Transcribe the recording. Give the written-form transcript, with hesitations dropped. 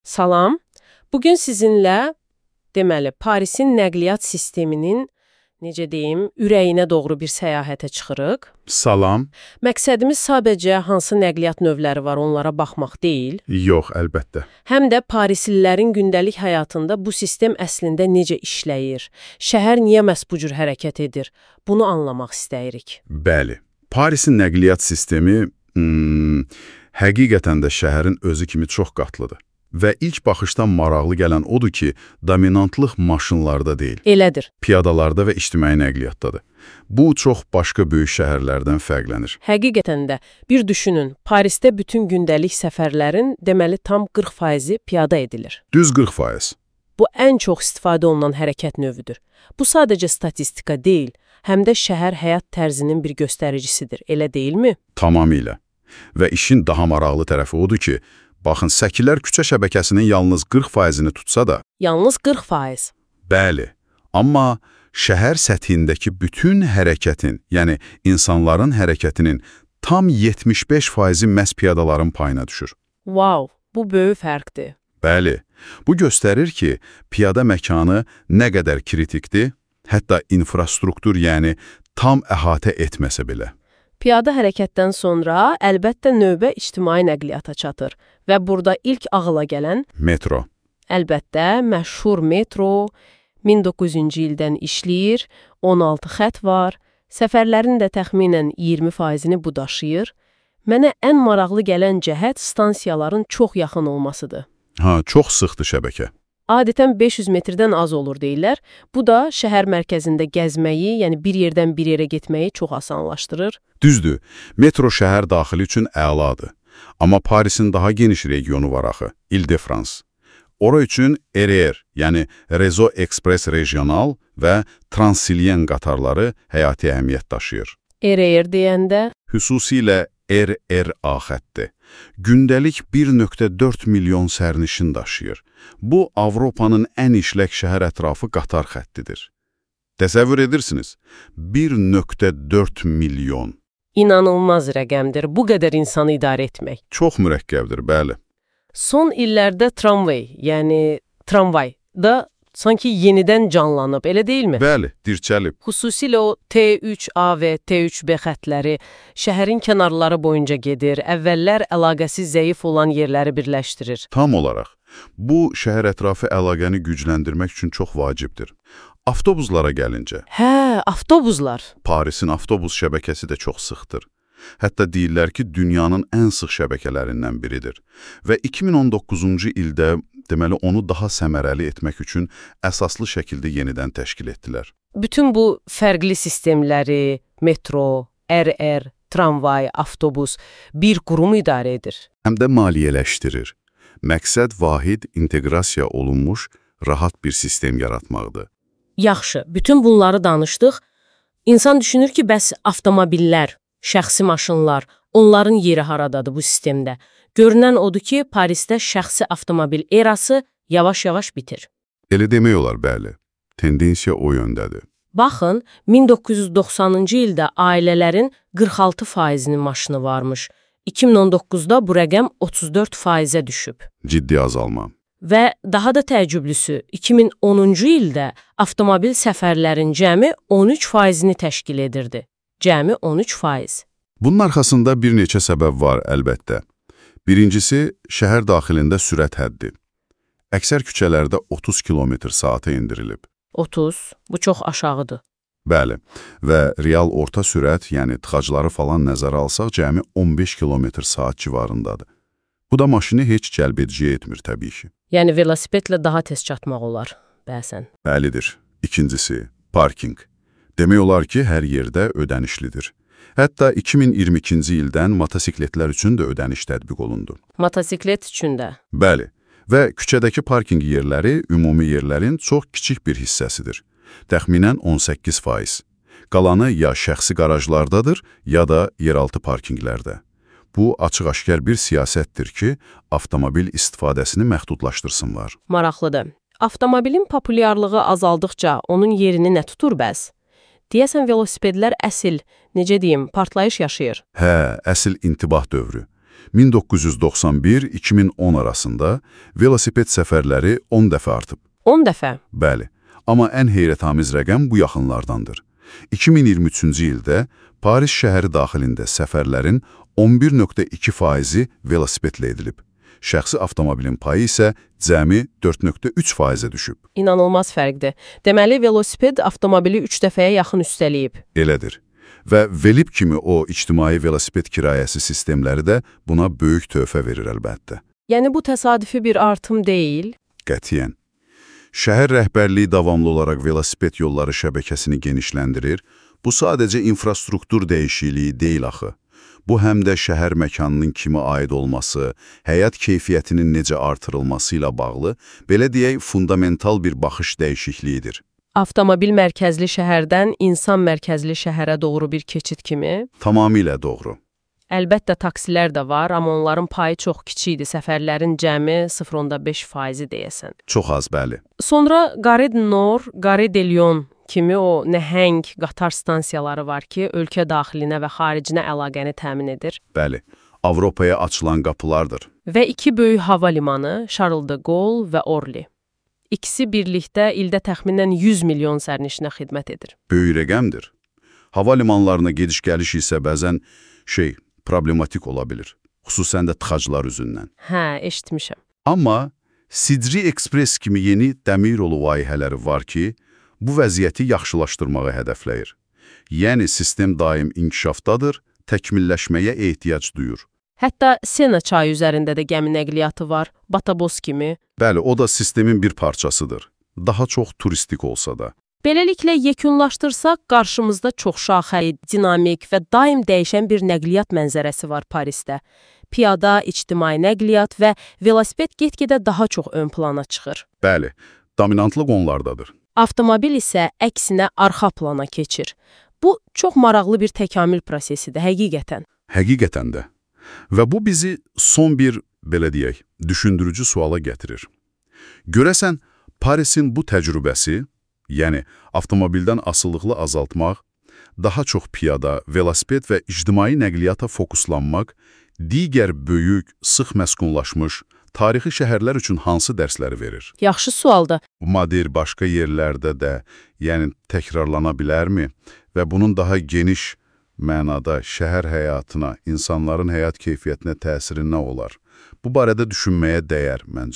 Salam. Bugün sizinlə, deməli, Parisin nəqliyyat sisteminin, necə deyim, ürəyinə doğru bir səyahətə çıxırıq. Salam. Məqsədimiz sadəcə hansı nəqliyyat növləri var, onlara baxmaq deyil. Yox, əlbəttə. Həm də Parislilərin gündəlik həyatında bu sistem əslində necə işləyir, şəhər niyə məhz bu cür hərəkət edir, bunu anlamaq istəyirik. Bəli. Parisin nəqliyyat sistemi həqiqətən də şəhərin özü kimi çox qatlıdır. Və ilk baxışdan maraqlı gələn odur ki, dominantlıq maşınlarda deyil. Elədir. Piyadalarda və ictimai nəqliyyatdadır. Bu, çox başqa böyük şəhərlərdən fərqlənir. Həqiqətən də, bir düşünün, Parisdə bütün gündəlik səfərlərin deməli tam 40%-i piyada edilir. Düz 40%. Bu, ən çox istifadə olunan hərəkət növüdür. Bu, sadəcə statistika deyil, həm də şəhər həyat tərzinin bir göstəricisidir, elə deyilmi? Tamamilə. Və işin daha maraqlı tərəfi odur ki, baxın, səkilər küçə şəbəkəsinin yalnız 40%-ni tutsa da... Yalnız 40%. Bəli, amma şəhər səthindəki bütün hərəkətin, yəni insanların hərəkətinin tam 75%-i məhz piyadaların payına düşür. Wow, bu böyük fərqdir. Bəli, bu göstərir ki, piyada məkanı nə qədər kritikdir, hətta infrastruktur, yəni tam əhatə etməsə belə. Piyada hərəkətdən sonra əlbəttə növbə ictimai nəqliyyata çatır və burada ilk ağıla gələn metro. Əlbəttə, məşhur metro 1900-cü ildən işləyir, 16 xətt var, səfərlərin də təxminən 20%-ni bu daşıyır. Mənə ən maraqlı gələn cəhət stansiyaların çox yaxın olmasıdır. Çox sıxdır şəbəkə. Adətən 500 metrdən az olur deyirlər. Bu da şəhər mərkəzində gəzməyi, yəni bir yerdən bir yerə getməyi çox asanlaşdırır. Düzdür, metro şəhər daxili üçün əladır. Amma Parisin daha geniş regionu var axı, Île-de-France. Ora üçün RER, yəni Réseau Express Regional və Transilien qatarları həyati əhəmiyyət daşıyır. RER deyəndə? Xüsusilə RRA xətti. Gündəlik 1,4 milyon sərnişin daşıyır. Bu, Avropanın ən işlək şəhər ətrafı qatar xəttidir. Təsəvvür edirsiniz, 1,4 milyon. İnanılmaz rəqəmdir, bu qədər insanı idarə etmək. Çox mürəkkəbdir, bəli. Son illərdə tramvay da sanki yenidən canlanıb, elə deyilmi? Bəli, dirçəlib. Xüsusilə o T3A və T3B xətləri şəhərin kənarları boyunca gedir, əvvəllər əlaqəsi zəif olan yerləri birləşdirir. Tam olaraq. Bu, şəhər ətrafı əlaqəni gücləndirmək üçün çox vacibdir. Avtobuslara gəlincə. Avtobuslar. Parisin avtobus şəbəkəsi də çox sıxdır. Hətta deyirlər ki, dünyanın ən sıx şəbəkələrindən biridir. Və 2019-cu ildə deməli, onu daha səmərəli etmək üçün əsaslı şəkildə yenidən təşkil etdilər. Bütün bu fərqli sistemləri, metro, RR, tramvay, avtobus bir qurum idarə edir. Həm də maliyyələşdirir. Məqsəd vahid, inteqrasiya olunmuş, rahat bir sistem yaratmaqdır. Yaxşı, bütün bunları danışdıq. İnsan düşünür ki, bəs avtomobillər, şəxsi maşınlar, onların yeri haradadır bu sistemdə? Görünən odur ki, Parisdə şəxsi avtomobil erası yavaş-yavaş bitir. Elə demək olar, bəli. Tendensiya o yöndədir. Baxın, 1990-cı ildə ailələrin 46%-nin maşını varmış. 2019-da bu rəqəm 34%-ə düşüb. Ciddi azalma. Və daha da təəccüblüsü, 2010-cu ildə avtomobil səfərlərin cəmi 13%-ni təşkil edirdi. Cəmi 13%. Bunun arxasında bir neçə səbəb var, əlbəttə. Birincisi, şəhər daxilində sürət həddi. Əksər küçələrdə 30 km/saata indirilib. 30, bu çox aşağıdır. Bəli, və real orta sürət, yəni tıxacları falan nəzərə alsaq, cəmi 15 km/saat civarındadır. Bu da maşını heç cəlbedici etmir, təbii ki. Yəni, velosipedlə daha tez çatmaq olar, bəsən. Bəlidir. İkincisi, parking. Demək olar ki, hər yerdə ödənişlidir. Hətta 2022-ci ildən motosikletlər üçün də ödəniş tətbiq olundu. Motosiklet üçün də? Bəli, və küçədəki parking yerləri ümumi yerlərin çox kiçik bir hissəsidir. Təxminən 18%. Qalanı ya şəxsi qarajlardadır, ya da yeraltı parkinqlərdə. Bu, açıq-aşkar bir siyasətdir ki, avtomobil istifadəsini məhdudlaşdırsınlar. Maraqlıdır. Avtomobilin populyarlığı azaldıqca onun yerini nə tutur bəs? Deyəsən, velosipedlər əsl, necə deyim, partlayış yaşayır. Əsl intibah dövrü. 1991-2010 arasında velosiped səfərləri 10 dəfə artıb. 10 dəfə. Bəli, amma ən heyrətamiz rəqəm bu yaxınlardandır. 2023-cü ildə Paris şəhəri daxilində səfərlərin 11,2%-i velosipedlə edilib. Şəxsi avtomobilin payı isə cəmi 4,3%-ə düşüb. İnanılmaz fərqdir. Deməli, velosiped avtomobili 3 dəfəyə yaxın üstələyib. Elədir. Və Velib kimi o ictimai velosiped kirayəsi sistemləri də buna böyük töhfə verir əlbəttə. Yəni bu təsadüfi bir artım deyil. Qətiyyən. Şəhər rəhbərliyi davamlı olaraq velosiped yolları şəbəkəsini genişləndirir. Bu sadəcə infrastruktur dəyişikliyi deyil axı. Bu həm də şəhər məkanının kimə aid olması, həyat keyfiyyətinin necə artırılması ilə bağlı, belə deyək, fundamental bir baxış dəyişikliyidir. Avtomobil mərkəzli şəhərdən insan mərkəzli şəhərə doğru bir keçid kimi. Tamamilə doğru. Əlbəttə taksilər də var, amma onların payı çox kiçikdir. Səfərlərin cəmi 0,5%-i deyəsən. Çox az, bəli. Sonra Gare du Nord, Gare de Lyon kimi o nəhəng qatar stansiyaları var ki, ölkə daxilinə və xaricinə əlaqəni təmin edir. Bəli, Avropaya açılan qapılardır. Və 2 böyük hava limanı, Charles de Gaulle və Orly. İkisi birlikdə ildə təxminən 100 milyon sərnişinə xidmət edir. Böyük rəqəmdir. Hava limanlarına gediş-gəliş isə bəzən problematik ola bilir. Xüsusən də tıxaclar üzündən. Hə, eşitmişəm. Amma Sidri Express kimi yeni dəmir yolu layihələri var ki, bu vəziyyəti yaxşılaşdırmağı hədəfləyir. Yəni, sistem daim inkişafdadır, təkmilləşməyə ehtiyac duyur. Hətta Sena çayı üzərində də gəmi nəqliyyatı var, Batobos kimi. Bəli, o da sistemin bir parçasıdır. Daha çox turistik olsa da. Beləliklə, yekunlaşdırsaq, qarşımızda çoxşaxəli, dinamik və daim dəyişən bir nəqliyyat mənzərəsi var Parisdə. Piyada, ictimai nəqliyyat və velosiped get-gedə daha çox ön plana çıxır. Bəli, dominantlıq onlardadır. Avtomobil isə əksinə arxa plana keçir. Bu, çox maraqlı bir təkamül prosesidir, həqiqətən. Həqiqətən də. Və bu bizi son bir, belə deyək, düşündürücü suala gətirir. Görəsən, Parisin bu təcrübəsi, yəni avtomobildən asılılığı azaltmaq, daha çox piyada, velosiped və ictimai nəqliyyata fokuslanmaq, digər böyük, sıx məskunlaşmış, tarixi şəhərlər üçün hansı dərsləri verir? Yaxşı sualdır. Bu model başqa yerlərdə də, yəni təkrarlana bilərmi? Və bunun daha geniş mənada şəhər həyatına, insanların həyat keyfiyyətinə təsiri nə olar? Bu barədə düşünməyə dəyər məncə.